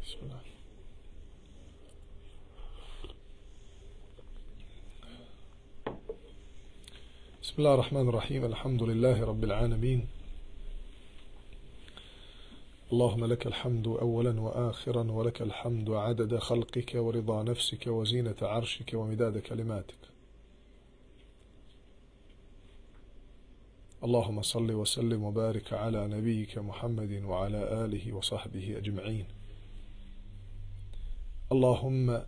Bismillah. بسم الله الرحمن الرحيم الحمد لله رب العالمين اللهم لك الحمد أولا وآخرا ولك الحمد عدد خلقك ورضا نفسك وزينة عرشك ومداد كلماتك اللهم صل وسلم وبارك على نبيك محمد وعلى آله وصحبه أجمعين اللهم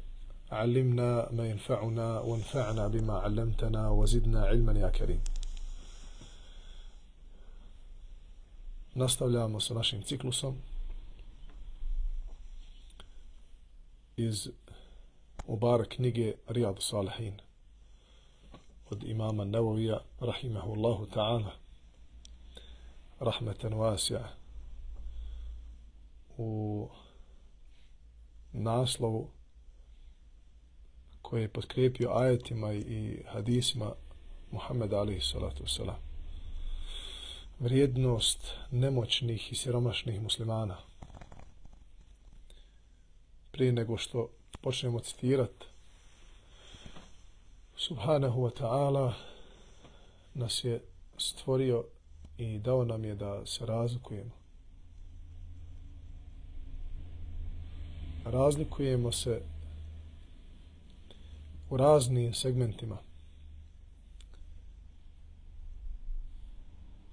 علمنا ما ينفعنا وانفعنا بما علمتنا وزدنا علما يا كريم. Nastavljamo sa našim ciklusom iz Mubarak knjige Rijadu Salihin od imama Nevovija rahimahullahu ta'ala rahmetan vasija u naslovu koji je potkrijepio ajetima i hadisima Muhammeda alejhi salatu vesselam. Vrijednost nemoćnih i siromašnih muslimana. Prije nego što počnemo citirati, subhanahu wa ta'ala nas je stvorio i dao nam je da se razlikujemo. Razlikujemo se u raznim segmentima.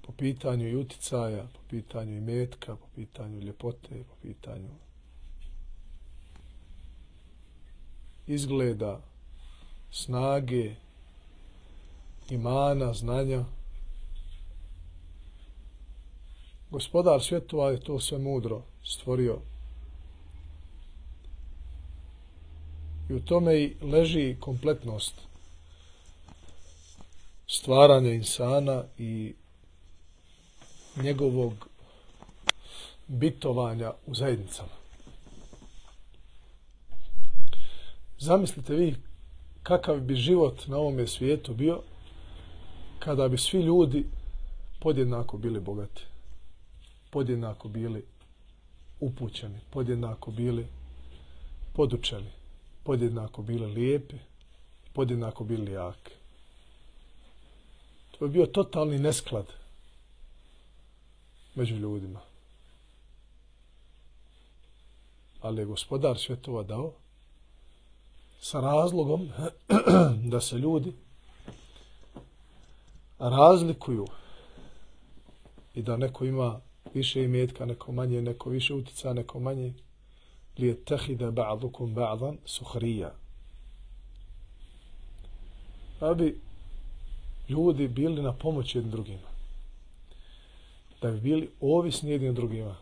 Po pitanju i uticaja, po pitanju imetka, po pitanju ljepote, po pitanju izgleda, snage, imana, znanja. Gospodar svjetova je to sve mudro stvorio. I u tome i leži kompletnost stvaranja insana i njegovog bitovanja u zajednicama. Zamislite vi kakav bi život na ovome svijetu bio kada bi svi ljudi podjednako bili bogati, podjednako bili upućeni, podjednako bili podučeni, podjednako bili lijepi, podjednako bili jaki. To je bio totalni nesklad među ljudima. Ali je Gospodar svjetova dao sa razlogom da se ljudi razlikuju i da neko ima više imetka, neko manje, neko više utica, neko manje. لِيَتَّخِذَ بَعْضُكُمْ بَعْضًا سُخْرِيًّا. Da bi ljudi bili na pomoć jednim drugima. Da bi bili ovisni jednim drugima.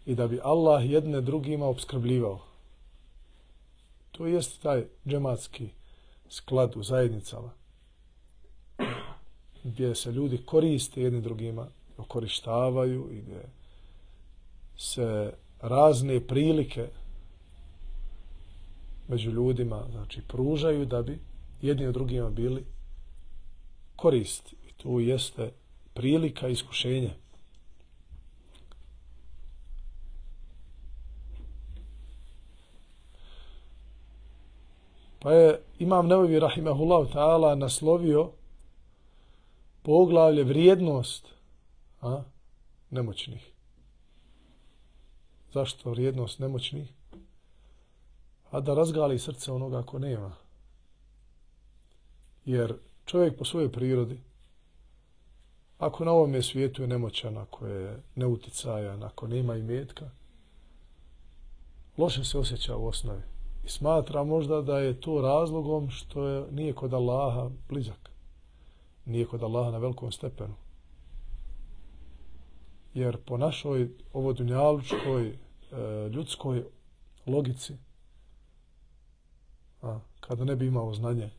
I da bi Allah jedne drugima opskrbljivao. To jest taj džematski sklad u zajednicama. Gdje se ljudi koriste jednim drugima, okorištavaju i gdje se razne prilike među ljudima, znači, pružaju da bi jedni od drugima bili koristi. I tu jeste prilika iskušenja. Pa je Imam Nevevi rahimahullahu ta'ala naslovio poglavlje vrijednost nemoćnih. Zašto vrijednost nemoćnih? A da razgali srce onoga ko nema. Jer čovjek po svojoj prirodi, ako na ovome svijetu je nemoćan, ako je neuticajan, ako nema imetka, loše se osjeća u osnovi. I smatra možda da je to razlogom što nije kod Allaha blizak. Nije kod Allaha na velikom stepenu. Jer po našoj ovo dunjalučkoj ljudskoj logici, kada ne bi imao znanje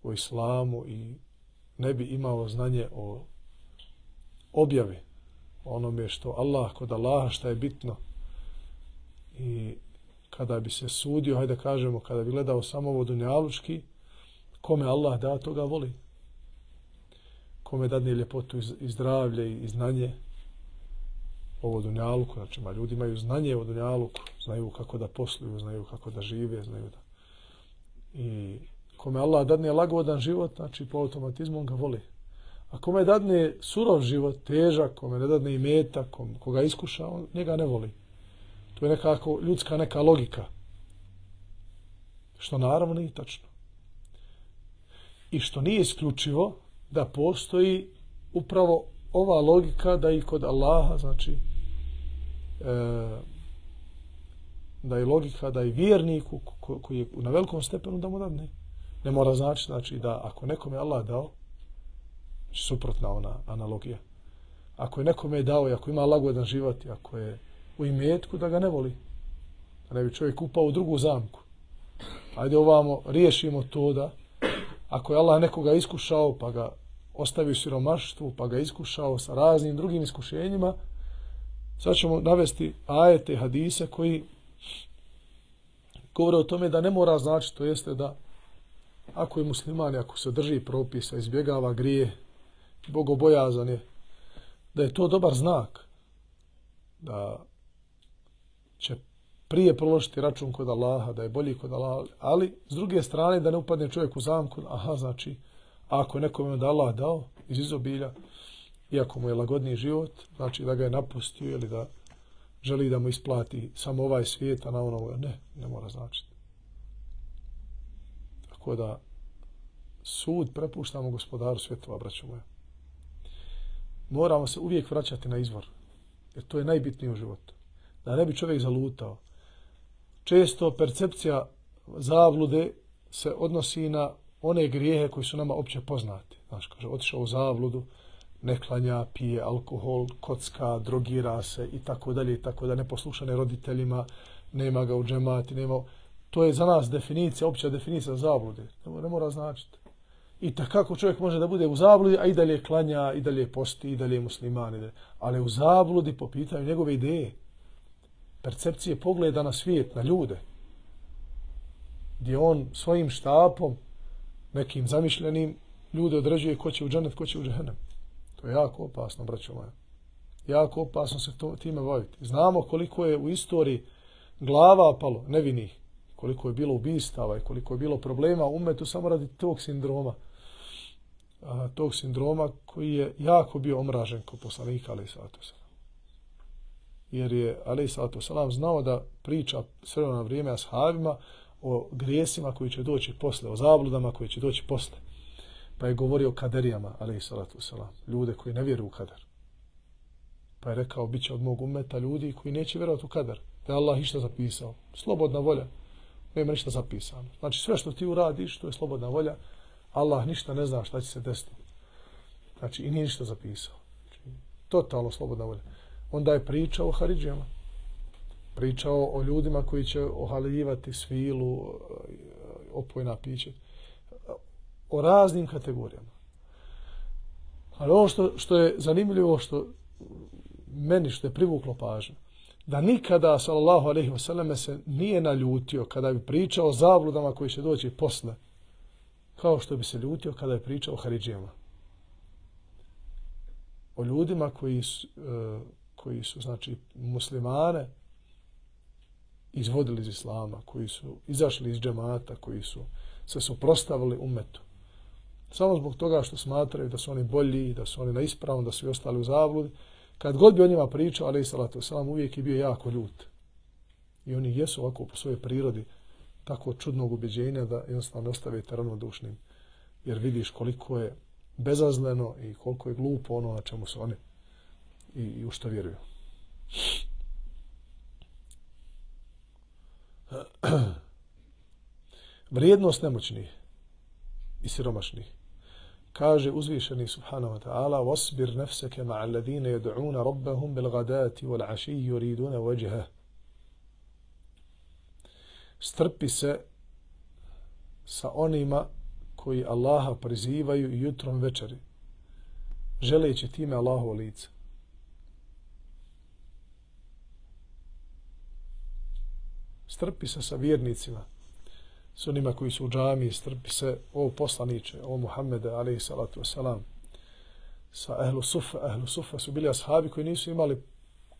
o islamu i ne bi imao znanje o objavi, onome što Allah, kod Allaha šta je bitno, i kada bi se sudio, hajde kažemo, kada bi gledao samo ovo dunjalučki, kome Allah da, toga voli. Kome dadne ljepotu i zdravlje i znanje, ovo dunjaluku, znači ljudi imaju znanje o dunjaluku, znaju kako da posluju, znaju kako da žive, znaju da... I kome Allah dadne lagodan život, znači po automatizmu on ga voli. A kome dadne surov život, težak, kome ne dadne imetak, koga iskuša, on njega ne voli. To je nekako ljudska neka logika. Što naravno nije tačno. I što nije isključivo da postoji upravo ova logika da i kod Allaha, znači da je logika da i vjerniku koji je na velikom stepenu da mu dadne. Ne mora znači da ako nekome Allah dao, suprotna ona analogija. Ako je nekome dao i ako ima lagodan život i ako je u imetku, da ga ne voli. Da ne bi čovjek upao u drugu zamku. Ajde ovamo, riješimo to da ako je Allah nekoga iskušao pa ga ostavio siromaštvu, pa ga iskušao sa raznim drugim iskušenjima, sad ćemo navesti ajete, hadise koji govore o tome da ne mora znači, to jeste da ako je musliman, ako se drži propisa, izbjegava grije, bogobojazan je, da je to dobar znak, da će prije položiti račun kod Allaha, da je bolji kod Allaha, ali s druge strane da ne upadne čovjek u zamku, znači, ako je nekome da Allah dao iz izobilja, iako mu je lagodniji život, znači da ga je napustio ili da želi da mu isplati samo ovaj svijet, a na ono, ne mora značiti. Tako da sud prepuštamo gospodaru svjetova, braćo moje. Moramo se uvijek vraćati na izvor, jer to je najbitnije u životu. Da ne bi čovjek zalutao. Često percepcija zablude se odnosi na one grijehe koji su nama opće poznati. Znaš, kaže, otišao u zabludu, ne klanja, pije alkohol, kocka, drogira se i tako dalje, neposlušane roditeljima, nema ga u džemati, nema... To je za nas definicija, opća definicija zablude. Ne mora značiti. I takako čovjek može da bude u zabludi, a i dalje klanja, i dalje posti, i dalje je musliman, ali u zabludi po pitanju njegove ideje, percepcije pogleda na svijet, na ljude, gdje on svojim štapom, nekim zamišljenim, ljude određuje ko će u džennet, ko će u džehennem. To je jako opasno, braćo moja. Jako opasno se time baviti. Znamo koliko je u istoriji glava palo, nevinih, koliko je bilo ubistava i koliko je bilo problema u umetu samo radi tog sindroma. Tog sindroma koji je jako bio omražen kod poslanika, alejhi salatu vesselam. Jer je, alejhi salatu vesselam, znao da priča sve na vrijeme ashabima o grijesima koji će doći posle, o zabludama koji će doći posle. Pa je govorio o kaderijama, alejhi salatu vesselam, ljude koji ne vjeruju u kader. Pa je rekao, bit će od mog ummeta ljudi koji neće vjerovati u kader. Da je Allah išta zapisao. Slobodna volja. Nema ništa zapisano. Znači sve što ti uradiš, to je slobodna volja. Allah ništa ne zna šta će se desiti. Znači i nije ništa zapisao. Znači, totalno slobodna volja. Onda je pričao o haridžijama. Pričao o ljudima koji će ohaljivati svilu, opojna piće. O raznim kategorijama. Ali ono što je zanimljivo, što meni što je privuklo pažnju, da nikada, sallallahu alejhi ve selleme, se nije naljutio kada bi pričao o zabludama koji će doći posle, kao što bi se ljutio kada je pričao o haridžijama. O ljudima koji su znači, muslimane izvodili iz islama, koji su izašli iz džemata, koji su se suprotstavili ummetu. Samo zbog toga što smatraju da su oni bolji, da su oni na ispravom, da su i ostali u zabludi. Kad god bi o njima pričao, alejhi salatu vesselam, uvijek je bio jako ljut. I oni jesu ovako po svojoj prirodi tako čudnog ubeđenja da jednostavno ostavite ravnodušnim. Jer vidiš koliko je bezazleno i koliko je glupo ono na čemu su oni i u što vjeruju. Vrijednost nemoćnih i siromašnih. Kaže uzvišeni subhanahu wa ta'ala: "Wasbir nafsaka ma'a alladhina yad'una rabbahum bil ghadati wal 'ashiyyi yuriduna wajha." Strpi se sa onima koji Allaha prizivaju i jutrom večeri, želeći time Allahovo lice. Strpi se sa vjernicima, s onima koji su u džamiji, strpi se, o poslaniče, o Muhammede, alejhi salatu vesselam, sa ehlu sufa. Ehlu sufa su bili ashabi koji nisu imali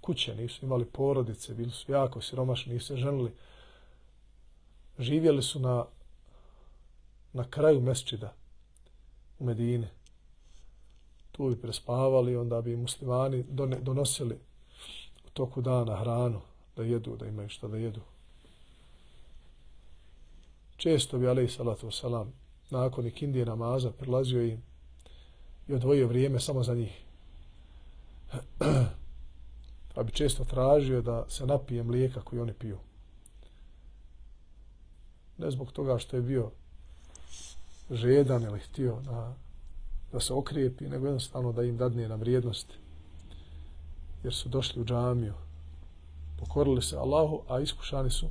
kuće, nisu imali porodice, bili su jako siromašni, nisu se ženili. Živjeli su na kraju mesdžida u Medini. Tu bi prespavali, onda bi muslimani donosili u toku dana hranu da jedu, da imaju šta da jedu. Često bi alejhi salatu vesselam nakon ikindije namaza prilazio im i odvojio vrijeme samo za njih. Pa bi često tražio da se napije mlijeka koji oni piju. Ne zbog toga što je bio žedan ili htio da se okrijepi, nego jednostavno da im dadne na vrijednosti. Jer su došli u džamiju, pokorili se Allahu, a iskušani su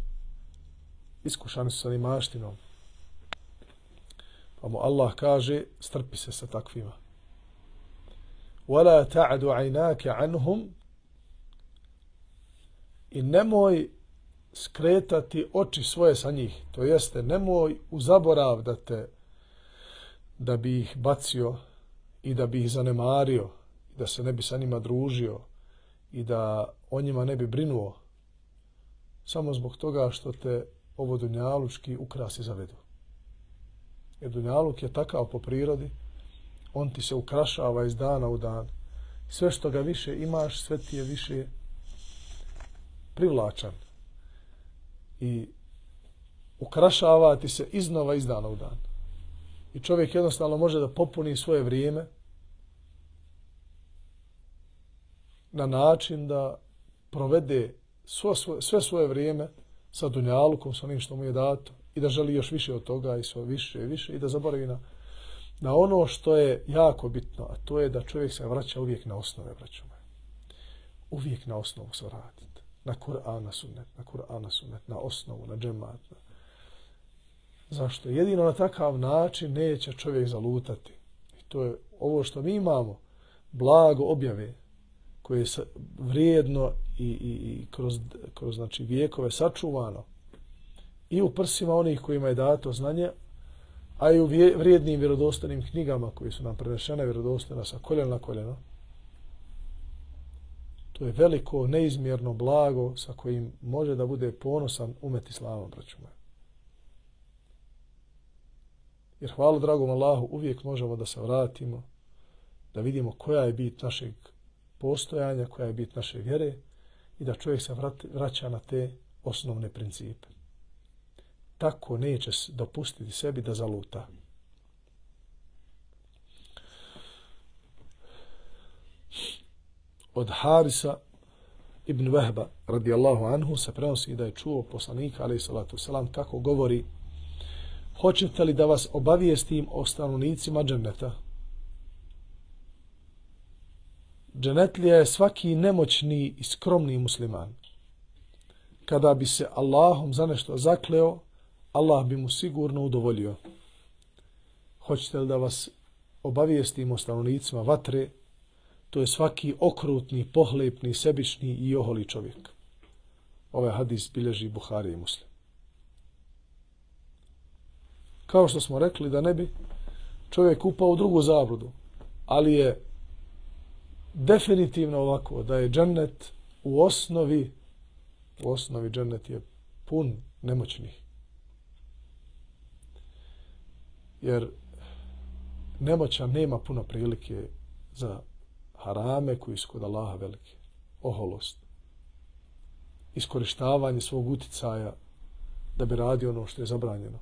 sa nimaštinom. Pa mu Allah kaže, strpi se sa takvima. وَلَا تَعْدُ عَيْنَاكَ عَنْهُمْ i nemoj skretati oči svoje sa njih. To jeste, nemoj u zaborav da bi ih bacio i da bi ih zanemario, da se ne bi sa njima družio i da o njima ne bi brinuo samo zbog toga što te ovo dunjalučki ukrasi zavedu. Jer dunjaluk je takav po prirodi, on ti se ukrašava iz dana u dan. Sve što ga više imaš, sve ti je više privlačan. I ukrašava ti se iznova iz dana u dan. I čovjek jednostavno može da popuni svoje vrijeme na način da provede sve svoje vrijeme sa dunjalukom, sa onim što mu je dato i da želi još više od toga i sve više i više i da zaboravi na ono što je jako bitno, a to je da čovjek se vraća uvijek na osnove, braćo moje. Uvijek na osnovu se vratiti. Na Kur'an, na sunnet, na osnovu, na džemat. Zašto? Jedino na takav način neće čovjek zalutati. I to je ovo što mi imamo, blago objave, koje je vrijedno i kroz znači, vijekove sačuvano i u prsima onih kojima je dato znanje, a i u vrijednim vjerodostojnim knjigama koji su nam prenešene vjerodostojno sa koljena na koljeno. To je veliko, neizmjerno blago sa kojim može da bude ponosan umet islama, braćo moje. Jer hvala dragom Allahu, uvijek možemo da se vratimo, da vidimo koja je bit našeg postojanja, koja je bit naše vjere i da čovjek se vraća na te osnovne principe. Tako neće dopustiti sebi da zaluta. Od Harisa ibn Vehba radijallahu anhu se prenosi da je čuo poslanika alejhi salatu selam kako govori: hoćete li da vas obavijestim o stanovnicima dženneta? Džennetlija je svaki nemoćni i skromni musliman. Kada bi se Allahom za nešto zakleo, Allah bi mu sigurno udovoljio. Hoćete li da vas obavijestim o stanovnicima vatre? To je svaki okrutni, pohlepni, sebični i oholi čovjek. Ovaj hadis bilježi Buhari i Muslim. Kao što smo rekli, da ne bi čovjek upao u drugu zabludu, ali je definitivno ovako, da je džennet u osnovi džennet je pun nemoćnih. Jer nemoćan nema puno prilike za harame koji su kod Allaha velike. Oholost. Iskorištavanje svog uticaja da bi radio ono što je zabranjeno.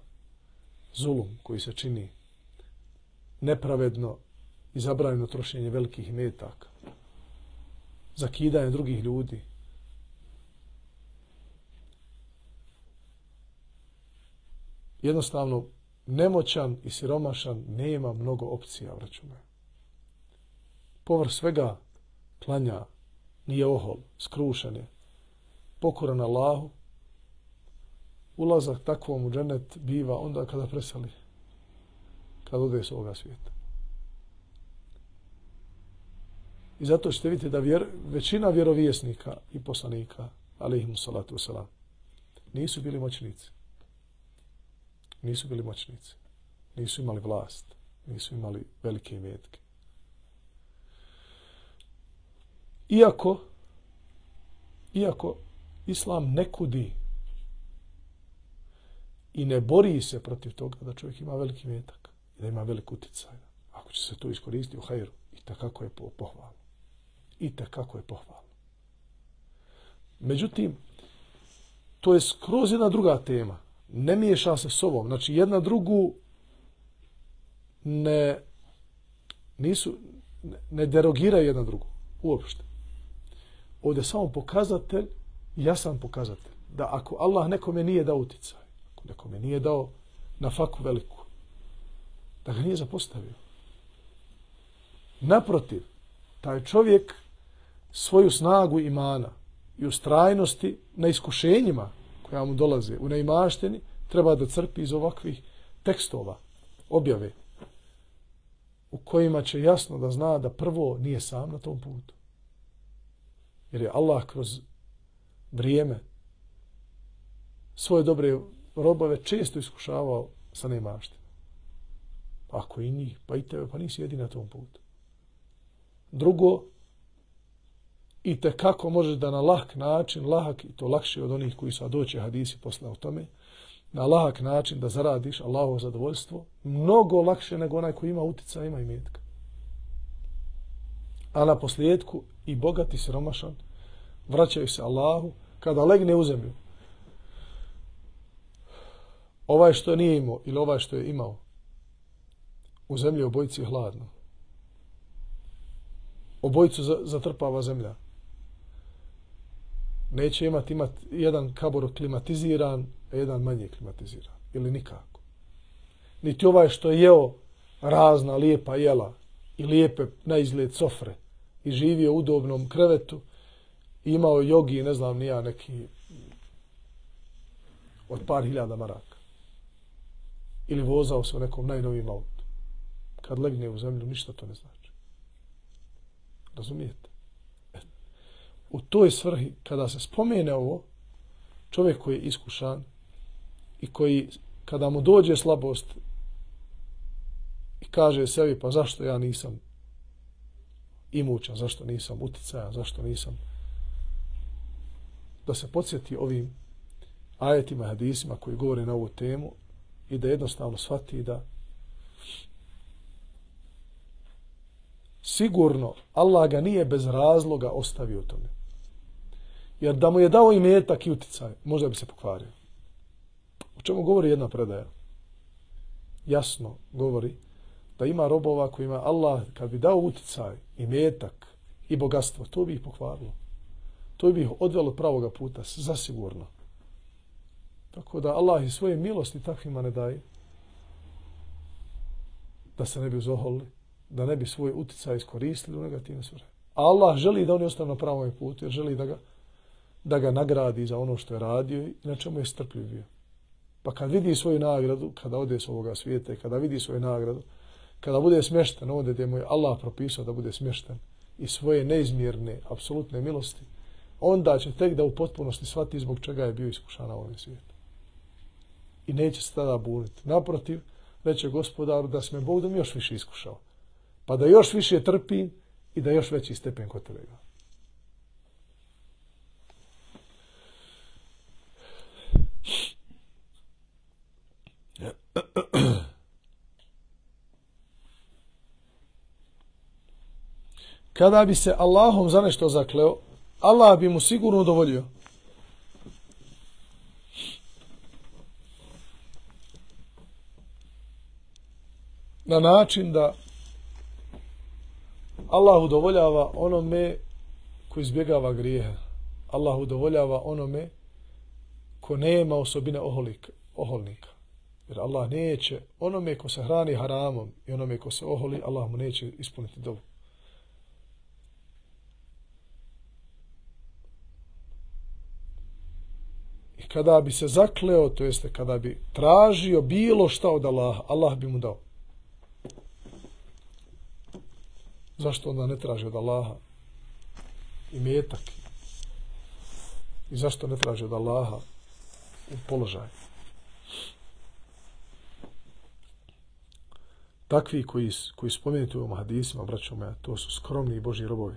Zulum koji se čini. Nepravedno i zabranjeno trošenje velikih metaka. Zakidanje drugih ljudi. Jednostavno, nemoćan i siromašan nema mnogo opcija, braćo moje. Povrh svega klanja, nije ohol, skrušen je, pokoran Allahu. Ulazak takvom u džennet biva onda kada preseli, kada ode s ovoga svijeta. I zato ćete vidjeti da većina vjerovjesnika i poslanika, alejhimu salatu wasalam, nisu bili moćnici. Nisu bili moćnici. Nisu imali vlast. Nisu imali velike imetke. Iako iako Islam ne kudi i ne bori se protiv toga da čovjek ima veliki metak i da ima velik utjecaj. Ako će se to iskoristiti u hajru, i takako je pohvalno. I takako je pohvalno. Međutim, to je skroz jedna druga tema. Ne miješa se s ovom. Znači, jedna drugu ne derogiraju jedna drugu. Uopšte. Ovdje je samo pokazatelj, jasan pokazatelj, da ako Allah nekome nije dao utjecaj, ako nekome nije dao na faku veliku, da ga nije zapostavio. Naprotiv, taj čovjek svoju snagu imana i ustrajnosti na iskušenjima koja mu dolaze u neimaštini treba da crpi iz ovakvih tekstova, objave, u kojima će jasno da zna da prvo nije sam na tom putu. Jer je Allah kroz vrijeme svoje dobre robove često iskušavao sa neimaštinom. Ako i njih, pa i tebe, pa nisi jedini na tom putu. Drugo, i tekako možeš da na lahk način, lahak i to lakše od onih koji su doći hadisi posle o tome, na lahak način da zaradiš Allahovo zadovoljstvo, mnogo lakše nego onaj koji ima utjecaja, ima imetka. A na posljedku i bogat i siromašan vraćaju se Allahu kada legne u zemlju. Ovaj što nije imao ili ovaj što je imao, u zemlji obojici je hladno. Obojicu zatrpava zemlja. Neće imati jedan kabor klimatiziran, a jedan manje klimatiziran. Ili nikako. Niti ovaj što je jeo razna lijepa jela i lijepe na izgled sofre i živio u udobnom krevetu i imao jogi, ne znam ni ja, neki od par hiljada maraka. Ili vozao se u nekom najnovijem autu. Kad legne u zemlju, ništa to ne znači. Razumijete? U toj svrhi, kada se spomene ovo, čovjek koji je iskušan i koji, kada mu dođe slabost i kaže sebi, pa zašto ja nisam imućan, zašto nisam uticajan, zašto nisam, da se podsjeti ovim ajetima, hadisima koji govore na ovu temu i da jednostavno shvati da sigurno Allah ga nije bez razloga ostavio tome. Jer da mu je dao imetak i uticaj, možda bi se pokvario. O čemu govori jedna predaja? Jasno govori da ima robova kojima Allah, kad bi dao uticaj, imetak i bogatstvo, to bi ih pokvarilo. To bi ih odvelo pravoga puta, zasigurno. Tako da Allah i svoje milosti takvima ne daje, da se ne bi uzoholili, da ne bi svoj uticaj iskoristili u negativne svrhe. Allah želi da oni ostanu na pravom putu, jer želi da ga nagradi za ono što je radio i na čemu je strpljiv bio. Pa kad vidi svoju nagradu, kada ode s ovoga svijeta i kada vidi svoju nagradu, kada bude smješten ovdje gdje mu je Allah propisao da bude smješten i svoje neizmjerne, apsolutne milosti, onda će tek da u potpunosti shvati zbog čega je bio iskušan na ovom svijetu. I neće se tada buniti. Naprotiv, reće Gospodaru da si me Bog da mi još više iskušao. Pa da još više trpim i da još veći stepen kod tebe ga. Kada bi se Allahom za nešto zakleo, Allah bi mu sigurno udovoljio. Na način da Allah udovoljava onome ko izbjegava grijehe. Allah udovoljava onome ko nema osobine oholnika. Jer Allah neće, onome ko se hrani haramom i onome ko se oholi, Allah mu neće ispuniti dovu. I kada bi se zakleo, to jeste kada bi tražio bilo šta od Allaha, Allah bi mu dao. Zašto onda ne traži od Allaha imetak? I zašto ne traži od Allaha u položaj? Takvi koji spomenuti u ovom hadisima, braćo moja, to su skromni Božji robovi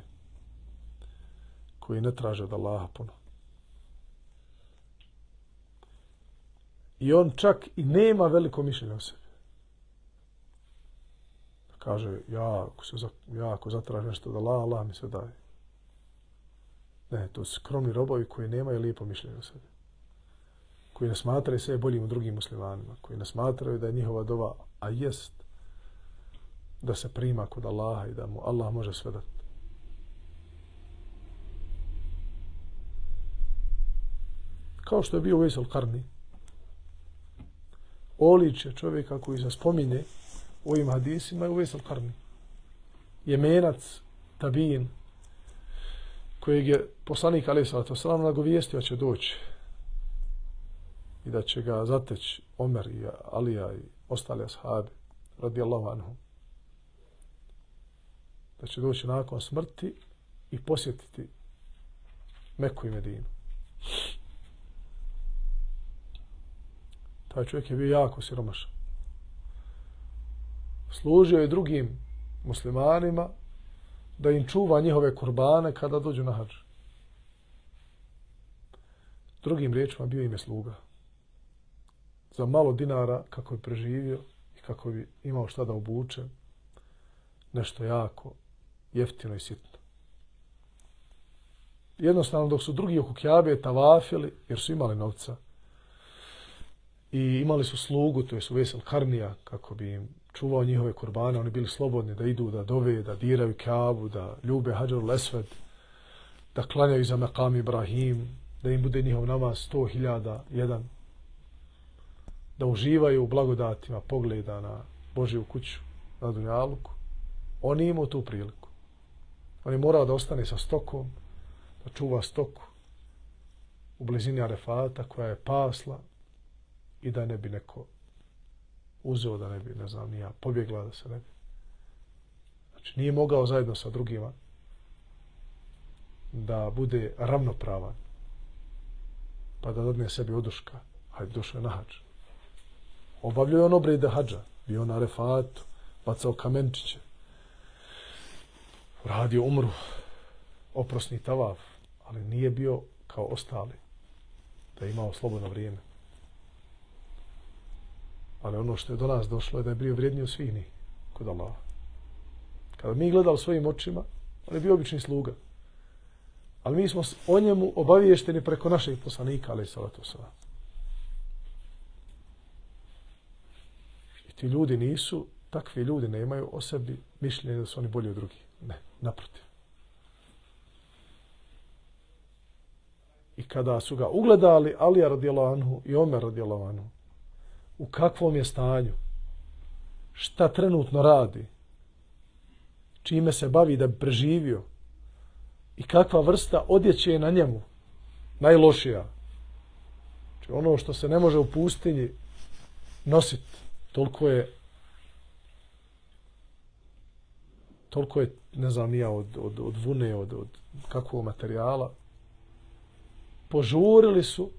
koji ne traže od Allaha puno. I on čak i nema veliko mišljenje o sebi. Kaže, ako zatražim nešto da Allah mi se daje. Ne, to su skromni robovi koji nemaju lijepo mišljenje o sebi. Koji ne smatraju sebe boljim od drugim muslimanima. Koji ne smatraju da je njihova dova, a jest, da se prima kod Allaha i da mu Allah može sve dati. Kao što je bio Uvejs al-Qarni. Oličje čovjeka koji se spominje u ovim hadisima je Uvejs al-Qarni. Jemenac, tabin, kojeg je poslanik alejhi salatu vesselam nagovijestio će doći i da će ga zateći Omer i Alija i ostali ashabi radijallahu anhum. Da će doći nakon smrti i posjetiti Meku i Medinu. Taj čovjek je bio jako siromašan. Služio je drugim muslimanima da im čuva njihove kurbane kada dođu na hadž. Drugim riječima bio im je sluga. Za malo dinara kako bi preživio i kako bi imao šta da obuče, nešto jako jeftino i sitno. Jednostavno dok su drugi oko Kjabe tavafili, jer su imali novca, i imali su slugu, to je Uvejs al-Qarnija, kako bi im čuvao njihove kurbane, oni bili slobodni da idu, da dove, da diraju Kjabu, da ljube Hadžarul Esved, da klanjaju za Mekam Ibrahim, da im bude njihov namaz 100.001, da uživaju u blagodatima pogleda na Božju kuću na Dunjaluku. On je imao tu priliku. On je morao da ostane sa stokom, da čuva stoku u blizini Arefata koja je pasla i da ne bi neko uzeo, da ne bi, ne znam, nija pobjegla, da se ne bi. Znači, nije mogao zajedno sa drugima da bude ravnopravan, pa da dadne sebi oduška, hajde, došao je na hadž. Obavljao je on obrede hadža, bio na Arefatu, bacao kamenčiće, radio umru, oprosni tavaf, ali nije bio kao ostali, da je imao slobodno vrijeme. Ali ono što je do nas došlo je da je bio vrijedniji od svih njih kod Allaha. Kada mi gledali svojim očima, on je bio obični sluga. Ali mi smo o njemu obaviješteni preko našeg poslanika, alejhi salatu vesselam. I ti ljudi nisu, takvi ljudi nemaju o sebi mišljenje da su oni bolji od drugih. Ne, naprotiv. I kada su ga ugledali Alija radijallahu anhu i Omer radijallahu anhu, u kakvom je stanju, šta trenutno radi, čime se bavi da bi preživio i kakva vrsta odjeće je na njemu najlošija. Znači ono što se ne može u pustinji nositi, toliko je, ne znam ja, od vune, od kakvog materijala. Požurili su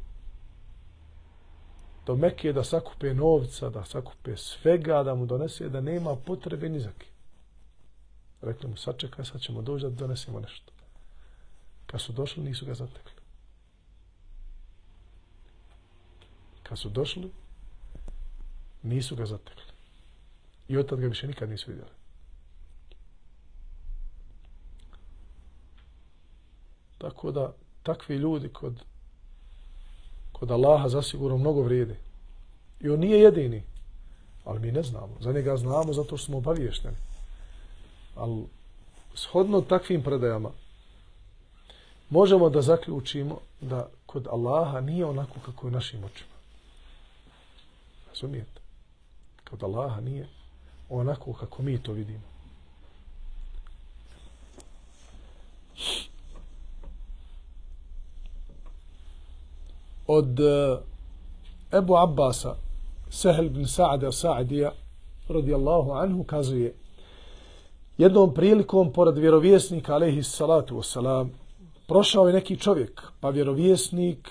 do Mekke da sakupe novca, da sakupe svega, da mu donese, da nema potrebe ni za kim. Rekli mu, sačekaj, sad ćemo doći da donesemo nešto. Kad su došli, nisu ga zatekli. Kad su došli, nisu ga zatekli. I od tada ga više nikad nisu vidjeli. Tako da, takvi ljudi kod Allaha zasigurno mnogo vrijede. I on nije jedini. Ali mi ne znamo. Za njega znamo zato što smo obaviješteni. Ali shodno takvim predajama možemo da zaključimo da kod Allaha nije onako kako je našim očima. Razumijete? Kod Allaha nije onako kako mi to vidimo. Od Ebu Abbasa, Sehel ibn Sa'ada Sa'adija, radijallahu anhu, kazuje, jednom prilikom, pored vjerovjesnika, alejhi salatu wassalam, prošao je neki čovjek, pa vjerovjesnik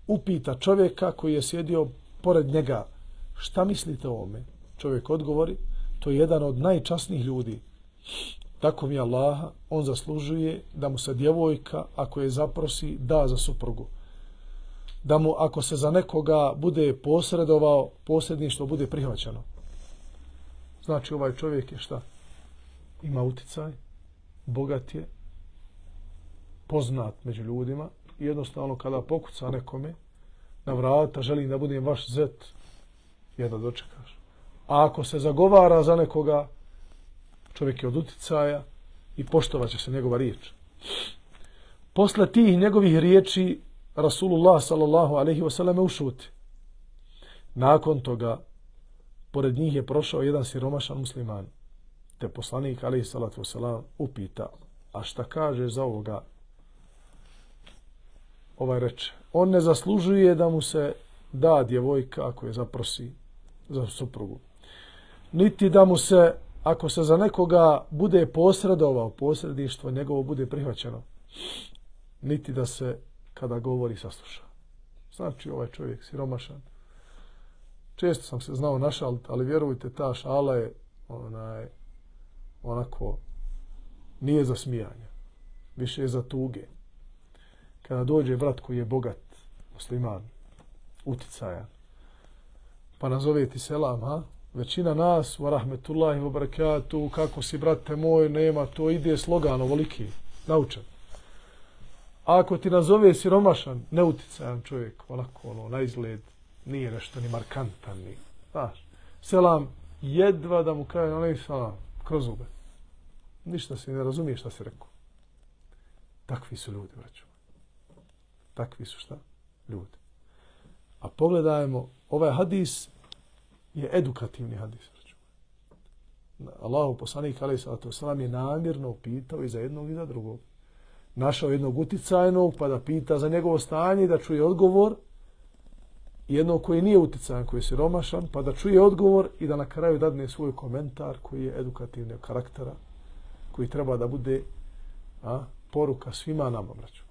upita čovjeka koji je sjedio pored njega, šta mislite o ovome? Čovjek odgovori, to je jedan od najčasnijih ljudi. Tako mi Allaha, on zaslužuje da mu se djevojka, ako je zaprosi, da za suprugu. da mu ako se za nekoga bude posredovao, posredništvo bude prihvaćeno. Znači ovaj čovjek je šta? Ima uticaj, bogat je, poznat među ljudima i jednostavno kada pokuca nekome na vrata, želim da budem vaš zet, jedno dočekaš. A ako se zagovara za nekoga, čovjek je od uticaja i poštovat će se njegova riječ. Posle tih njegovih riječi Rasulullah sallallahu alejhi ve selleme ušuti. Nakon toga pored njih je prošao jedan siromašan musliman, te poslanik alejhi salatu vesselam upita: a šta kaže za ovoga? Ovaj reče: on ne zaslužuje da mu se da djevojka ako je zaprosi za suprugu, niti da mu se, ako se za nekoga bude posredovao, posredništvo njegovo bude prihvaćeno, niti da se kada govori sasluša. Znači ovaj čovjek siromašan. Često sam se znao našaliti, ali vjerujte, ta šala je onako nije za smijanje, više je za tuge. Kada dođe brat koji je bogat, musliman, uticajan, pa nazove ti selam, ha? Većina nas, wa rahmetullahi wa barakatuh, kako si brate moj, nema, to ide slogan ovoliki, naučen. A ako ti nazove siromašan, neuticajan čovjek, onako na izgled, nije nešto ni markantan, ni, znaš, selam, jedva da mu kaže, onaj selam, kroz zube. Ništa se ne razumije šta si rekao. Takvi su ljudi, braćo. Takvi su šta? Ljudi. A pogledajmo, ovaj hadis je edukativni hadis. Allahu poslanik alejhi salatu vesselam je namjerno pitao i za jednog i za drugog. Našao jednog uticajnog pa da pita za njegovo stanje i da čuje odgovor, jednog koji nije uticajan, koji je siromašan, pa da čuje odgovor i da na kraju dadne svoj komentar koji je edukativnog karaktera, koji treba da bude poruka svima nama, braćo.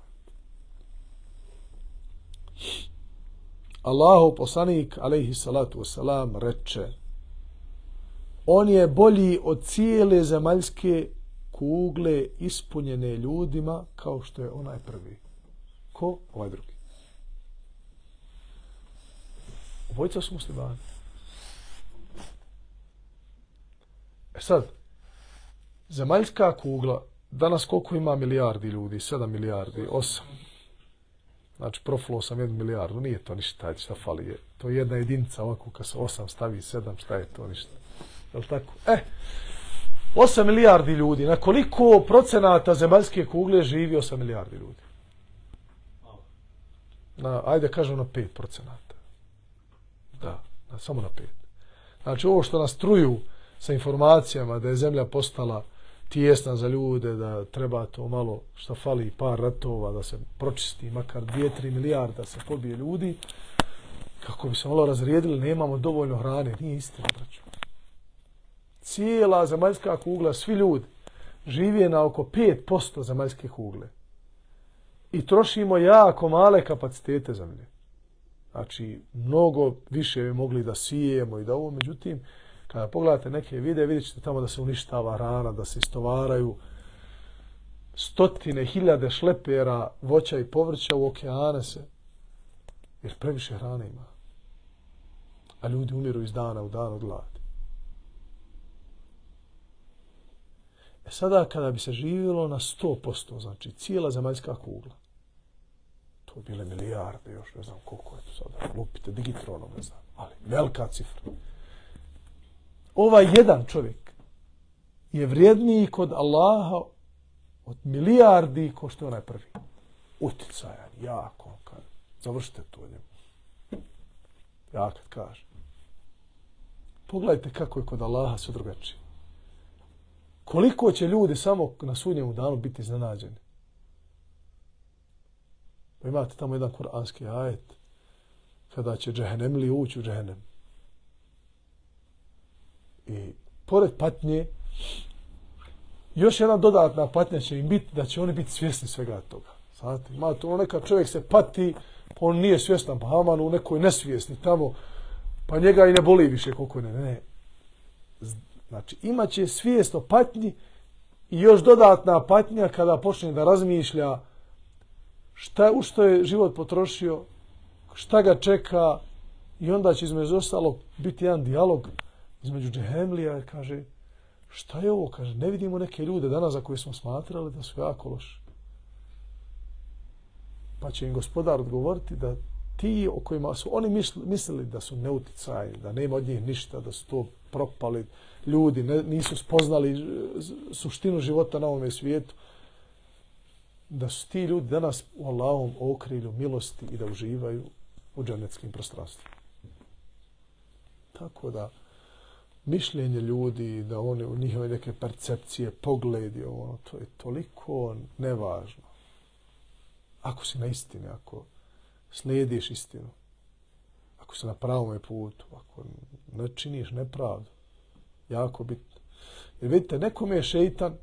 Allahu poslanik alejhi salatu vesselam reče: on je bolji od cijele zemaljske kugle ispunjene ljudima kao što je onaj prvi. Ko? Ovaj drugi. Obojica su muslimani. Sad, zemaljska kugla, danas koliko ima milijardi ljudi? 7 milijardi, 8. Znači, profulo sam 1 milijardu, nije to ništa, šta fali je. To je jedna jedinica, ovako kad se 8 stavi 7, šta je to ništa? Je li tako? 8 milijardi ljudi, na koliko procenata zemaljske kugle živi 8 milijardi ljudi? Ajde kažem na 5%. Da, samo na 5. Znači, ovo što nas truju sa informacijama da je zemlja postala tijesna za ljude, da treba to malo šta fali par ratova da se pročisti, makar 2-3 milijarda se pobije ljudi, kako bi se malo razrijedili, nemamo dovoljno hrane. Nije istina, braćo. Cijela zemaljska kugla, svi ljudi žive na oko 5% zemaljske kugle i trošimo jako male kapacitete zemlje. Znači, mnogo više bi mogli da sijemo i da ovo, međutim, kada pogledate neke videe, vidjet ćete tamo da se uništava hrana, da se istovaraju stotine, hiljade šlepera voća i povrća u okeane se, jer previše hrane ima. A ljudi umiru iz dana u dan od gladi. Sada kada bi se živjelo na 100%, znači cijela zemaljska kugla, to bi bile milijarde, još ne znam koliko je to sada, lupite digitronom, ne znam, ali velika cifra. Ovaj jedan čovjek je vrijedniji kod Allaha od milijardi ko što je onaj prvi. Uticajan, jako, kad završite to njemu. Ja kad kažem. Pogledajte kako je kod Allaha sve drugačije. Koliko će ljudi samo na sudnjemu danu biti iznenađeni. Pa imate tamo jedan kuranski ajet kada će džehennemli ući u džehennem. I pored patnje, još jedna dodatna patnja će im biti da će oni biti svjesni svega toga. Znate, ima to neka čovjek se pati, pa on nije svjestan, pa Haman u nekoj nesvjesni tamo, pa njega i ne boli više koliko ne. Znači, imaće svijest o patnji i još dodatna patnja kada počne da razmišlja u što je život potrošio šta ga čeka i onda će između ostalog biti jedan dijalog između džehemlija i kaže šta je ovo? Kaže, ne vidimo neke ljude danas za koje smo smatrali da su jako loši. Pa će im gospodar odgovoriti da ti o kojima su oni mislili da su neuticajni, da nema od njih ništa, da su to propali ljudi, nisu spoznali suštinu života na ovome svijetu, da su ti ljudi danas u Allahovom okrilju milosti i da uživaju u džennetskim prostranstvima. Tako da mišljenje ljudi, da oni u njihove neke percepcije, pogledi, to je toliko nevažno. Ako si na istini, ako slijediš istinu, ako si na pravom putu, ako ne činiš nepravdu, jako bitno. Jer vidite, nekome je šeitan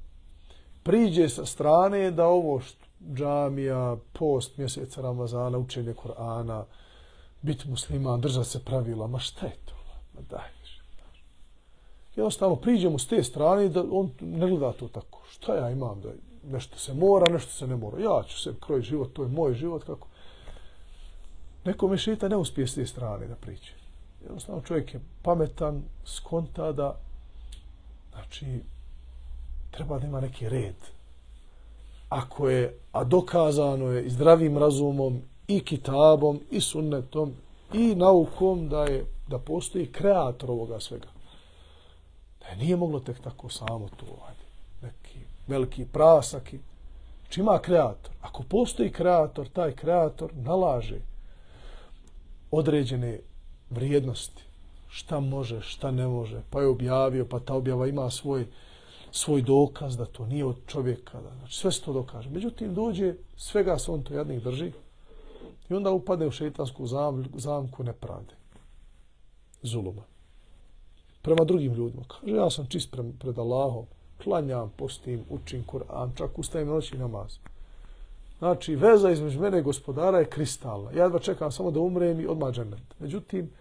priđe sa strane da ovo džamija, post mjeseca Ramazana, učenje Kur'ana, biti musliman, držati se pravila, ma šta je to? Ma daj. Jednostavno priđemo s te strane da on ne gleda to tako. Šta ja imam da nešto se mora, nešto se ne mora. Ja ću se krojiti život, to je moj život. Kako? Nekome šeitan ne uspije s te strane da priđe. Jednostavno čovjek je pametan, skonta da znači treba da ima neki red. A dokazano je i zdravim razumom, i kitabom, i sunnetom, i naukom da postoji kreator ovoga svega. Da nije moglo tek tako samo to neki veliki prasaki. Znači ima kreator. Ako postoji kreator, taj kreator nalaže određene vrijednosti. Šta može, šta ne može. Pa je objavio, pa ta objava ima svoj dokaz da to nije od čovjeka. Znači sve se to dokaže. Međutim, dođe, svega se on to jadnik drži i onda upadne u šejtansku zamku nepravde. Zuluma. Prema drugim ljudima. Kaže, ja sam čist pred Allahom, klanjam, postim, učim Kur'an, čak ustajem noći namaz. Znači, veza između mene i gospodara je kristalna. Ja jedva čekam samo da umrem i odmah džennet. Međutim,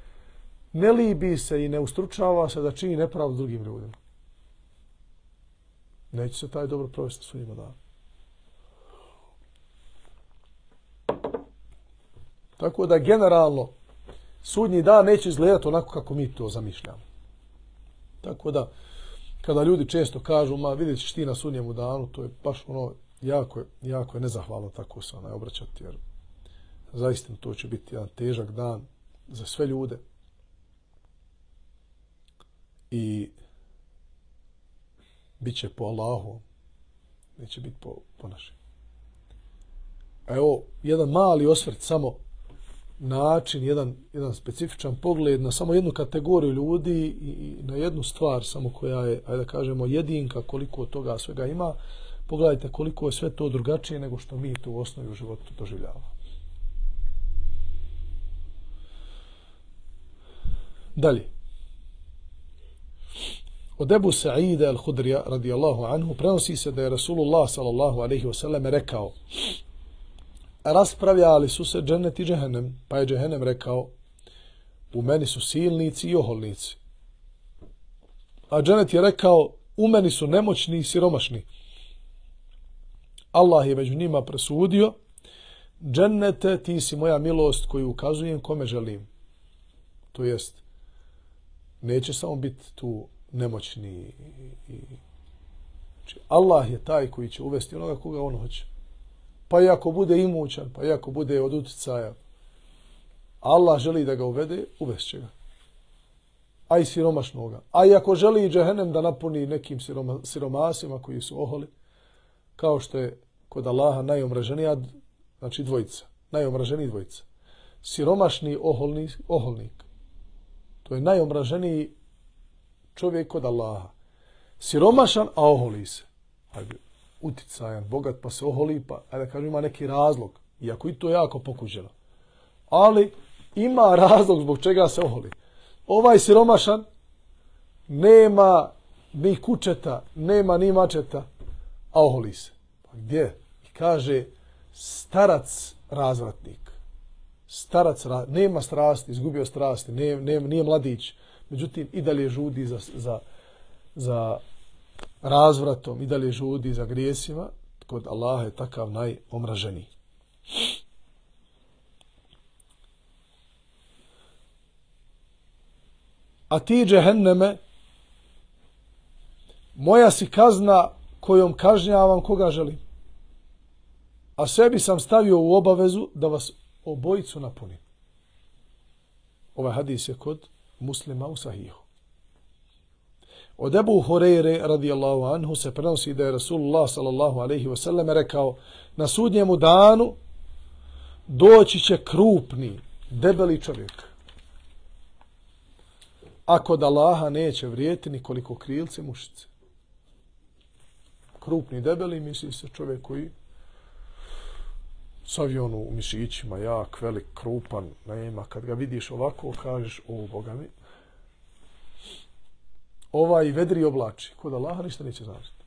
ne libi se i ne ustručava se da čini nepravdu drugim ljudima. Neće se taj dobro provesti svojima dana. Tako da generalno sudnji dan neće izgledati onako kako mi to zamišljamo. Tako da kada ljudi često kažu, ma vidjet ćeš ti na sudnjemu danu, to je baš jako je nezahvalno tako se obraćati, jer zaista to će biti jedan težak dan za sve ljude. I bit će po Allahu, neće biti po našem. Evo, jedan mali osvrt, samo način, jedan specifičan pogled na samo jednu kategoriju ljudi i na jednu stvar samo koja je, ajde da kažemo, jedinka koliko toga svega ima. Pogledajte koliko je sve to drugačije nego što mi to u osnovi u životu doživljavamo. Dalje. Od Ebu Sa'ida al-Hudrija radijallahu anhu prenosi se da je Rasulullah sallallahu alaihi wasallam rekao: raspravljali su se džennet i džehennem, pa je džehennem rekao: u meni su silnici i oholnici. A džennet je rekao: u meni su nemoćni i siromašni. Allah je među njima presudio: džennete, ti si moja milost koju ukazujem kome želim. To jest, neće samo biti tu nemoćni znači, Allah je taj koji će uvesti onoga koga on hoće. Pa i ako bude imućan, pa i ako bude od uticaja, Allah želi da ga uvede, uvešće ga. A i siromašnoga. A i ako želi džehennem da napuni nekim siromasima koji su oholi, kao što je kod Allaha najomraženija, znači dvojica, najomraženiji dvojica. Siromašni oholnik. To je najomraženiji čovjek kod Allaha. Siromašan, a oholi se. Hajde, uticajan, bogat, pa se oholi, pa da kažem, ima neki razlog. Iako i to jako pokuđeno. Ali ima razlog zbog čega se oholi. Ovaj siromašan nema ni kučeta, nema ni mačeta, a oholi se. Pa gdje? I kaže, starac razvratnik. Starac, nema strasti, izgubio strasti, nije mladić. Međutim, i dalje žudi za razvratom, i dalje žudi za grijesima. Kod Allaha je takav najomraženiji. a ti džehenneme, moja si kazna kojom kažnjavam koga želim. A sebi sam stavio u obavezu da vas obojicu napunim. Ovaj hadis je kod Muslima u Sahihu. Od Ebu Hureyre radijallahu anhu se prenosi da je Rasulullah sallallahu alaihi wasallam rekao: na sudnjemu danu doći će krupni, debeli čovjek. A kod Allaha neće vrijeti nikoliko krilce mušice. Krupni, debeli, misli se čovjek koji s avionu u mišićima, jak, velik, krupan, nema. Kad ga vidiš ovako, kažeš: o, Boga mi, ovaj vedri oblači. Kod Allaha ništa neće značiti.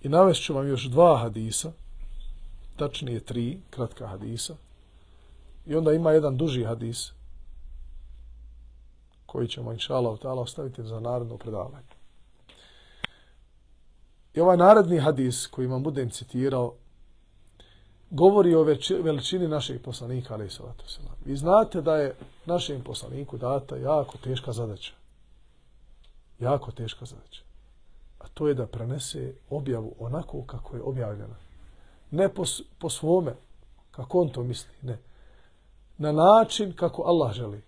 I navest ću vam još 2 hadisa, tačnije 3 kratka hadisa, i onda ima jedan duži hadis koji ćemo inšallah ta'ala ostaviti za naredno predavanje. I ovaj naredni hadis koji vam budem citirao govori o veličini našeg poslanika alejhi salatu vesselam. Vi znate da je našem poslaniku data jako teška zadaća. Jako teška zadaća. A to je da prenese objavu onako kako je objavljena. Ne po svome, kako on to misli, ne. Na način kako Allah želi.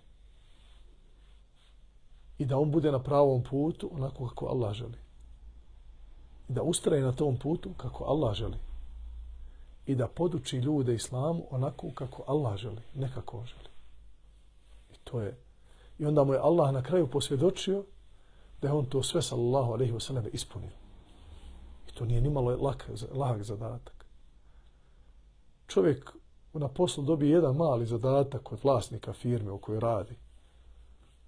I da on bude na pravom putu onako kako Allah želi. I da ustraje na tom putu kako Allah želi. I da poduči ljude islamu onako kako Allah želi, ne kako on želi. I to je. I onda mu je Allah na kraju posvjedočio da je on to sve sallallahu alejhi ve sellem ispunio. I to nije nimalo lahak zadatak. Čovjek na poslu dobije jedan mali zadatak od vlasnika firme u kojoj radi.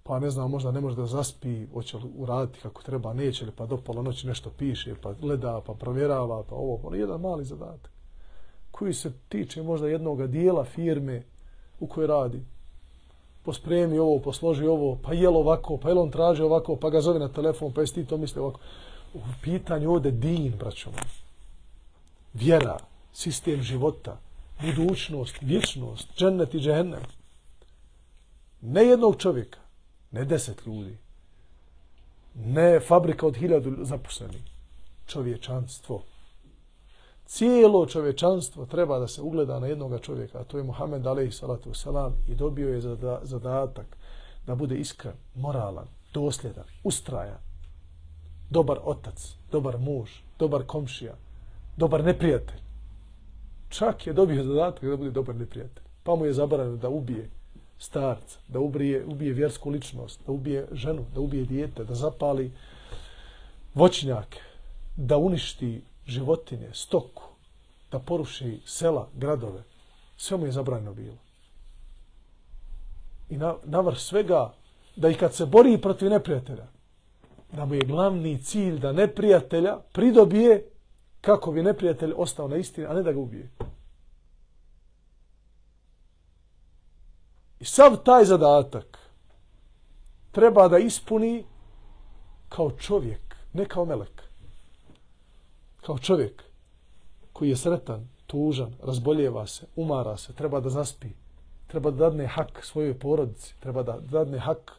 Pa ne znam, možda ne može da zaspi, hoće li uraditi kako treba, neće li, pa do pola noći nešto piše, pa gleda, pa provjerava, pa ovo, pa jedan mali zadatak koji se tiče možda jednog dijela firme u kojoj radi. Pospremi ovo, posloži ovo, pa jel ovako, pa jel on traži ovako, pa ga zove na telefon, pa jesi ti to misli ovako. U pitanju ovdje din, braćo. Vjera, sistem života, budućnost, vječnost, džennet i džehennem. Ne jednog čovjeka, ne 10 ljudi, ne fabrika od 1000 zaposlenih. Čovječanstvo. Cijelo čovječanstvo treba da se ugleda na jednoga čovjeka, a to je Muhammed alejhi salatu vesselam, i dobio je zadatak da bude iskren, moralan, dosljedan, ustrajan, dobar otac, dobar muž, dobar komšija, dobar neprijatelj. Čak je dobio zadatak da bude dobar neprijatelj. Pa mu je zabranjeno da ubije starca, da ubije vjersku ličnost, da ubije ženu, da ubije dijete, da zapali voćnjake, da uništi životinje, stoku, da poruši sela, gradove. Sve mu je zabranjeno bilo. I navrh svega, da i kad se bori protiv neprijatelja, da mu je glavni cilj da neprijatelja pridobije kako bi neprijatelj ostao na istini, a ne da ga ubije. I sav taj zadatak treba da ispuni kao čovjek, ne kao melek. Kao čovjek koji je sretan, tužan, razboljeva se, umara se, treba da zaspi, treba da dadne hak svojoj porodici, treba da dadne hak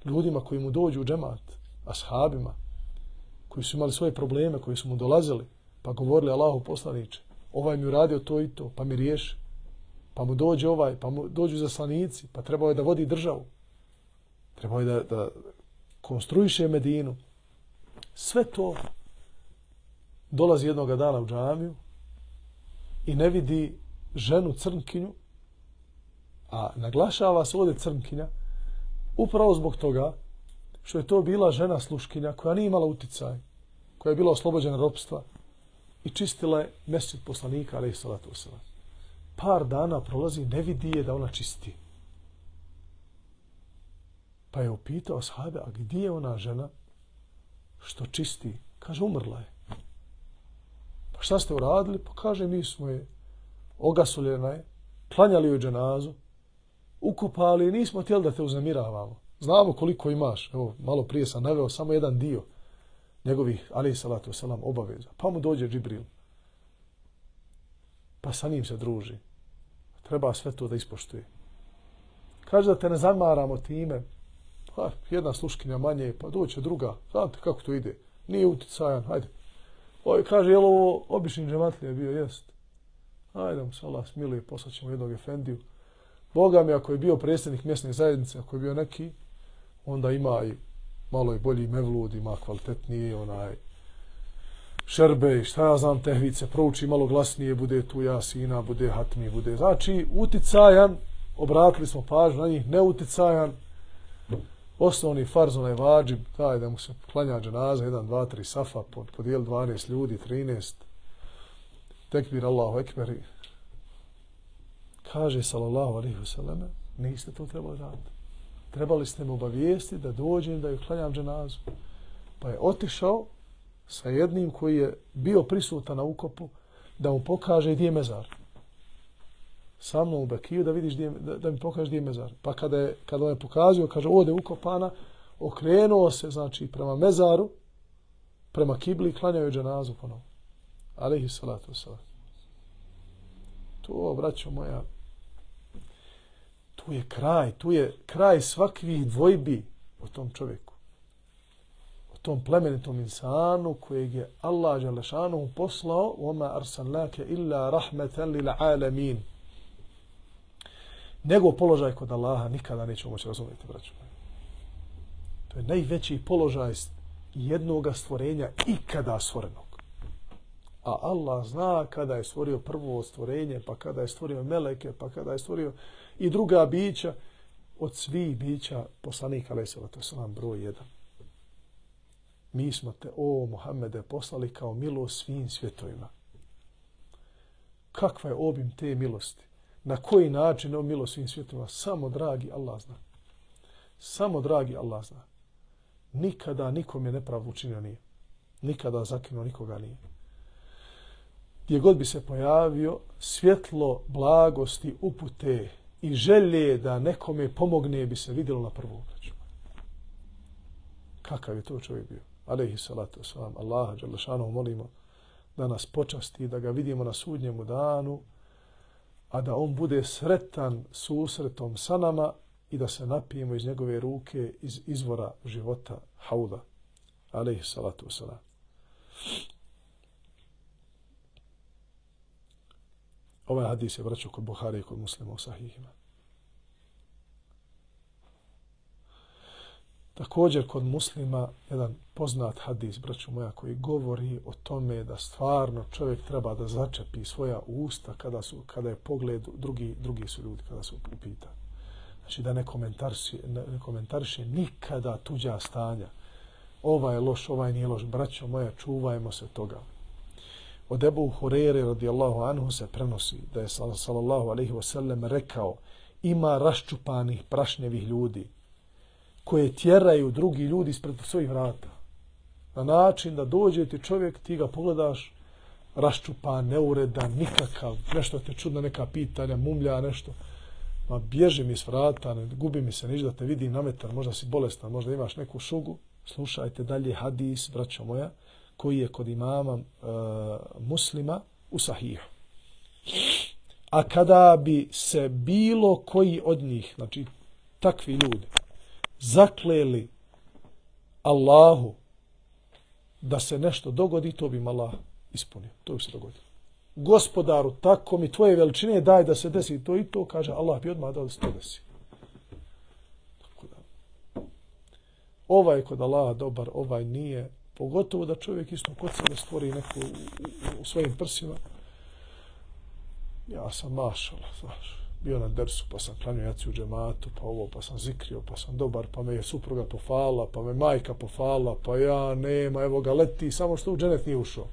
ljudima koji mu dođu u džemat, ashabima, koji su imali svoje probleme, koji su mu dolazili, pa govorili: Allahu poslaniče, ovaj mi uradio to i to, pa mi riješi. Pa mu dođe ovaj, pa mu dođu zaslanici, pa trebao je da vodi državu. Trebao je da konstruiše Medinu. Sve to dolazi jednoga dana u džamiju i ne vidi ženu crnkinju, a naglašava se ovdje crnkinja upravo zbog toga što je to bila žena sluškinja koja nije imala uticaj, koja je bila oslobođena ropstva i čistila je mesdžid poslanika alejhi salatu vesselam. Par dana prolazi, ne vidi je da ona čisti. Pa je upitao ashabe: a gdje je ona žena što čisti? Kaže: umrla je. Pa šta ste uradili? Pa kaže: mi smo je, ogasuljena je, klanjali joj dženazu, ukupali i nismo htjeli da te uznemiravamo. Znamo koliko imaš. Evo, malo prije sam naveo samo jedan dio njegovih alejhi salatu vesselam obaveza. Pa mu dođe Džibril. Pa sa njim se druži. treba sve to da ispoštuje. Kaže da te ne zamaramo time, pa jedna sluškinja manje, pa doće druga, znate kako to ide, nije uticajan, hajde. Kaže, je li ovo obični džematlija bio? Jest. Hajde mu se Allah smiluje, poslaćemo jednog efendiju. Boga mi, ako je bio predsjednik mjesne zajednice, ako je bio neki, onda ima i malo i bolji mevlud, ima kvalitetniji šerbe i šta ja znam, tehvice, prouči malo glasnije, bude tu jasina, bude hatmi, bude. Znači, uticajan, obratili smo pažnju na njih, neuticajan, osnovni farz, onaj vadžib, taj da mu se klanja dženaza, 1, 2, 3 safa, podijeli 12 ljudi, 13, tekbir Allahu ekber. Kaže, sallallahu alaihi wasallam, niste to trebali raditi. Trebali ste me obavijesti da dođem da ju klanjam dženazu. Pa je otišao sa jednim koji je bio prisutan na ukopu da mu pokaže gdje je mezar. Sa mnom u Bekiju da vidiš da mi pokaže gdje je mezar. Pa kada on je pokazio, kaže ovdje ukopana, okrenuo se znači prema mezaru, prema kibli i klanjao je dženazu ponovo. Alejhi salatu vesselam. To, braćo moja, tu je kraj svakvih dvojbi o tom čovjeku. O tom plemenitom insanu kojeg je Allah dželešanu poslao وَمَا أَرْسَلْنَاكَ إِلَّا رَحْمَةً لِلْعَالَمِينَ. Njegov položaj kod Allaha nikada nećemo moći razumjeti, braćo moja. To je najveći položaj jednoga stvorenja ikada stvorenog. A Allah zna kada je stvorio prvo stvorenje, pa kada je stvorio meleke, pa kada je stvorio i druga bića, od svih bića poslanik alejselatu selam broj 1. Mi smo te, o Muhammede, poslali kao milost svim svjetovima. Kakva je obim te milosti? Na koji način je milost svim svjetovima? Samo dragi Allah zna. Samo dragi Allah zna. Nikada nikom je nepravdu učinio nije. Nikada zakinuo nikoga nije. Gdje god bi se pojavio, svjetlo blagosti, upute i želje da nekome pomogne bi se vidjelo na prvu obraću. Kakav je to čovjek bio? Alejhi salatu vesselam. Allaha dželle šanehu molimo da nas počasti, da ga vidimo na sudnjemu danu, a da on bude sretan susretom sa nama i da se napijemo iz njegove ruke, iz izvora života, hauda. Alejhi salatu vesselam. Ovaj hadis je vraćao kod Buhari i kod Muslima u sahihima. Također kod Muslima jedan poznat hadis, braćo moja, koji govori o tome da stvarno čovjek treba da začepi svoja usta kada je pogled drugi su ljudi kada su u pitanju. Znači da ne komentariše nikada tuđa stanja. Ovaj je loš, ovaj nije loš. Braćo moja, čuvajmo se toga. Od Ebu Hurere radijallahu anhu se prenosi da je sallallahu alejhi ve sellem rekao: ima raščupanih prašnjevih ljudi koje tjeraju drugi ljudi ispred svojih vrata. Na način da dođe ti čovjek, ti ga pogledaš, raščupan, neuredan, nikakav, nešto te čudna neka pitanja, mumlja nešto. Ma bježi mi s vrata, ne gubi mi se niš da te vidim na metar, možda si bolestan, možda imaš neku šugu. Slušajte dalje hadis, braćo moja, koji je kod imama Muslima u sahihu. A kada bi se bilo koji od njih, znači takvi ljudi, zakleli Allahu da se nešto dogodi, to bi im Allah ispunio. To bi se dogodilo. Gospodaru, tako mi tvoje veličine daj da se desi to i to, kaže Allah bi odmah dao da se to desi. Tako da. Ovaj je kod Allaha dobar, ovaj nije. Pogotovo da čovjek isto kod sebe stvori neku u svojim prsima. Ja sam mašala, znaš, bio na dersu, pa sam klanio jaci u džematu, pa ovo, pa sam zikrio, pa sam dobar, pa me je supruga pofala, pa me majka pofala, pa ja nema, evo ga leti, samo što u dženet nije ušao.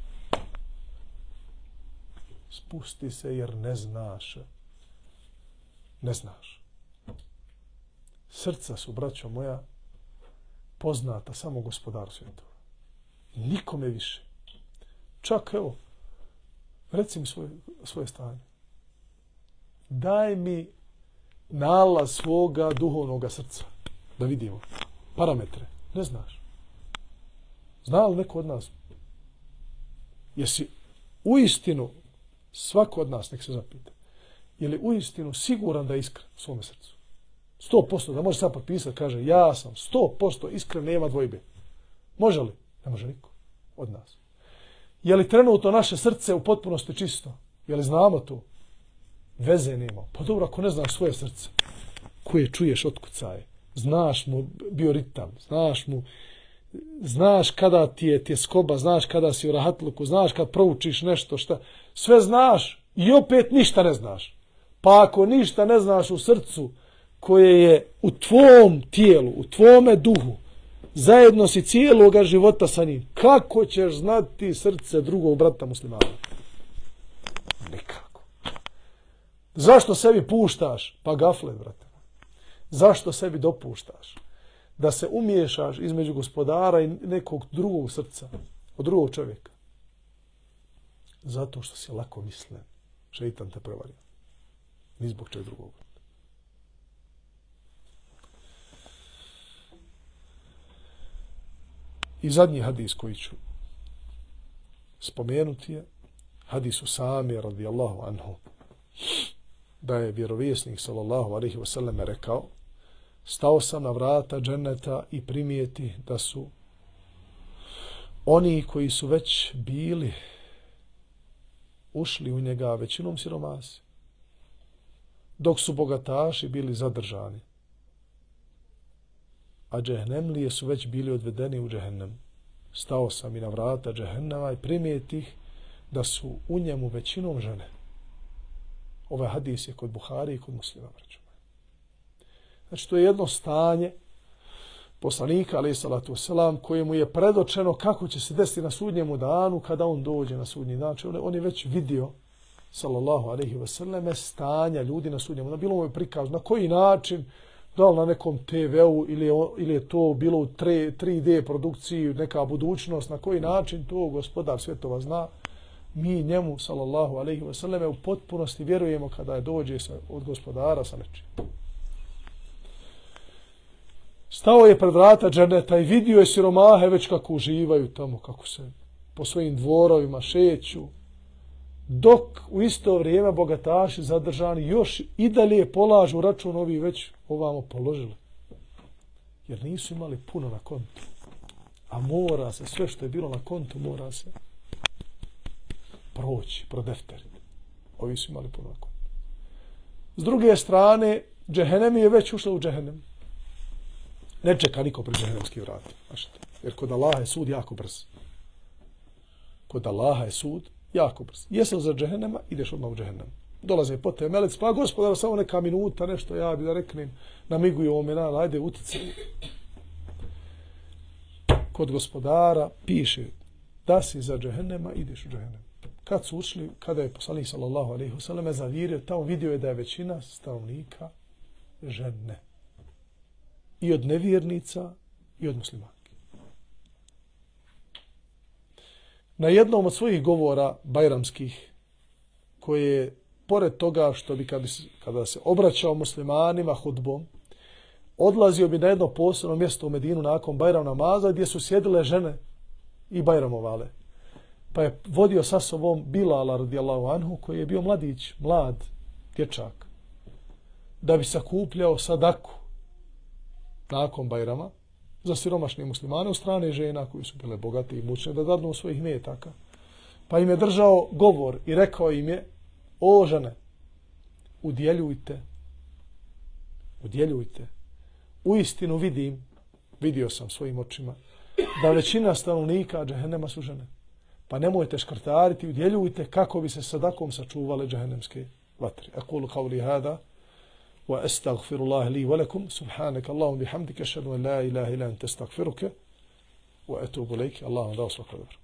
Spusti se jer ne znaš. Ne znaš. Srca su, braćo moja, poznata samo Gospodaru svjetova. Nikome više. Čak, evo, reci mi svoje stanje. Daj mi nalaz svoga duhovnog srca. Da vidimo. Parametre. Ne znaš. Zna li neko od nas? Jesi u istinu, svako od nas, nek se zapita, je li uistinu siguran da je iskren u svome srcu? 100%, da može sad potpisati, kaže, ja sam 100% iskren, nema dvojbe. Može li? Ne može niko od nas. Je li trenutno naše srce u potpunosti čisto? Je li znamo to? Veze nema. Pa dobro, ako ne znaš svoje srce, koje čuješ otkucaje, znaš mu bioritam, znaš kada ti je tjeskoba, znaš kada si u rahatluku, znaš kad proučiš nešto, šta, sve znaš i opet ništa ne znaš. Pa ako ništa ne znaš u srcu koje je u tvom tijelu, u tvome duhu, zajedno si cijeloga života sa njim, kako ćeš znati srce drugog brata muslimana? Nikako. Zašto sebi puštaš? Pa gaflet, brate. Zašto sebi dopuštaš da se umiješaš između gospodara i nekog drugog srca, od drugog čovjeka? Zato što si lako mislen. Šeitan te prevario. Ni zbog čeg drugog. I zadnji hadis koji ću spomenuti je hadis Usame radijallahu anhu, da je vjerovjesnik sallallahu alejhi ve sellem rekao: stao sam na vrata dženeta i primijeti da su oni koji su već bili ušli u njega većinom siromasi, dok su bogataši bili zadržani, a džehnemlije su već bili odvedeni u džehennem. Stao sam i na vrata džehennema i primijetih da su u njemu većinom žene. Ovaj hadis je kod Buhari i kod Muslima. Znači, to je jedno stanje poslanika, alejhi salatu vesselam, kojemu je predočeno kako će se desiti na sudnjemu danu kada on dođe na sudnji dan. Znači, on je već vidio, sallallahu alejhi ve selleme, stanja ljudi na sudnjemu danu. Bilo mu je prikaz na koji način, da li na nekom TV-u ili je to bilo u 3D produkciji, neka budućnost, na koji način to gospodar svjetova zna. Mi njemu, sallallahu alejhi ve selleme, u potpunosti vjerujemo kada je dođe od gospodara sa nečim. Stao je pred vrata dženeta i vidio je siromahe već kako uživaju tamo, kako se po svojim dvorovima šeću, dok u isto vrijeme bogataši zadržani još i dalje polažu račun, ovi već ovamo položili. Jer nisu imali puno na kontu. A mora se, sve što je bilo na kontu, mora se proći, prodefteriti. Ovi su imali puno na kontu. S druge strane, džehennem je već ušla u džehennem. Ne čeka niko pred džehennemski vrat. Jer kod Allaha je sud jako brz. Kod Allaha je sud jako brz. Jesi za džehennema, ideš odmah u džehennem. Dolaze po te melec, pa gospodar, samo neka minuta, nešto ja bi da reknem, namiguju ovome, ajde, utice. Kod gospodara piše da si za džehennema, ideš u džehennem. Kad su ušli, kada je poslanik sallallahu alejhi ve selleme zavirio, tamo vidio je da je većina stanovnika žene. I od nevjernica i od muslimanki. Na jednom od svojih govora bajramskih, koje je pored toga što bi kada se obraćao muslimanima hudbom, odlazio bi na jedno posebno mjesto u Medinu nakon Bajram namaza gdje su sjedile žene i bajramovale. Pa je vodio sa sobom Bilala radijallahu anhu, koji je bio mladić, mlad dječak, da bi sakupljao sadaku nakon Bajrama za siromašne muslimane od strane žena koji su bile bogate i mučne, da dadnu svojih metaka. Pa im je držao govor i rekao im je: o žene, udjeljujte. Uistinu vidio sam svojim očima, da većina stanovnika džehennema su žene. Pa nemojte škrtariti, udjeljujte kako bi se sadakom sačuvale džehennemske vatre. Aqulu qawli hada wa astaghfirullah li wa lakum, subhanaka Allahumma bihamdika, ashhadu an la ilaha illa anta, astaghfiruka wa atubu ilayk. Allahu da usvaka dobro.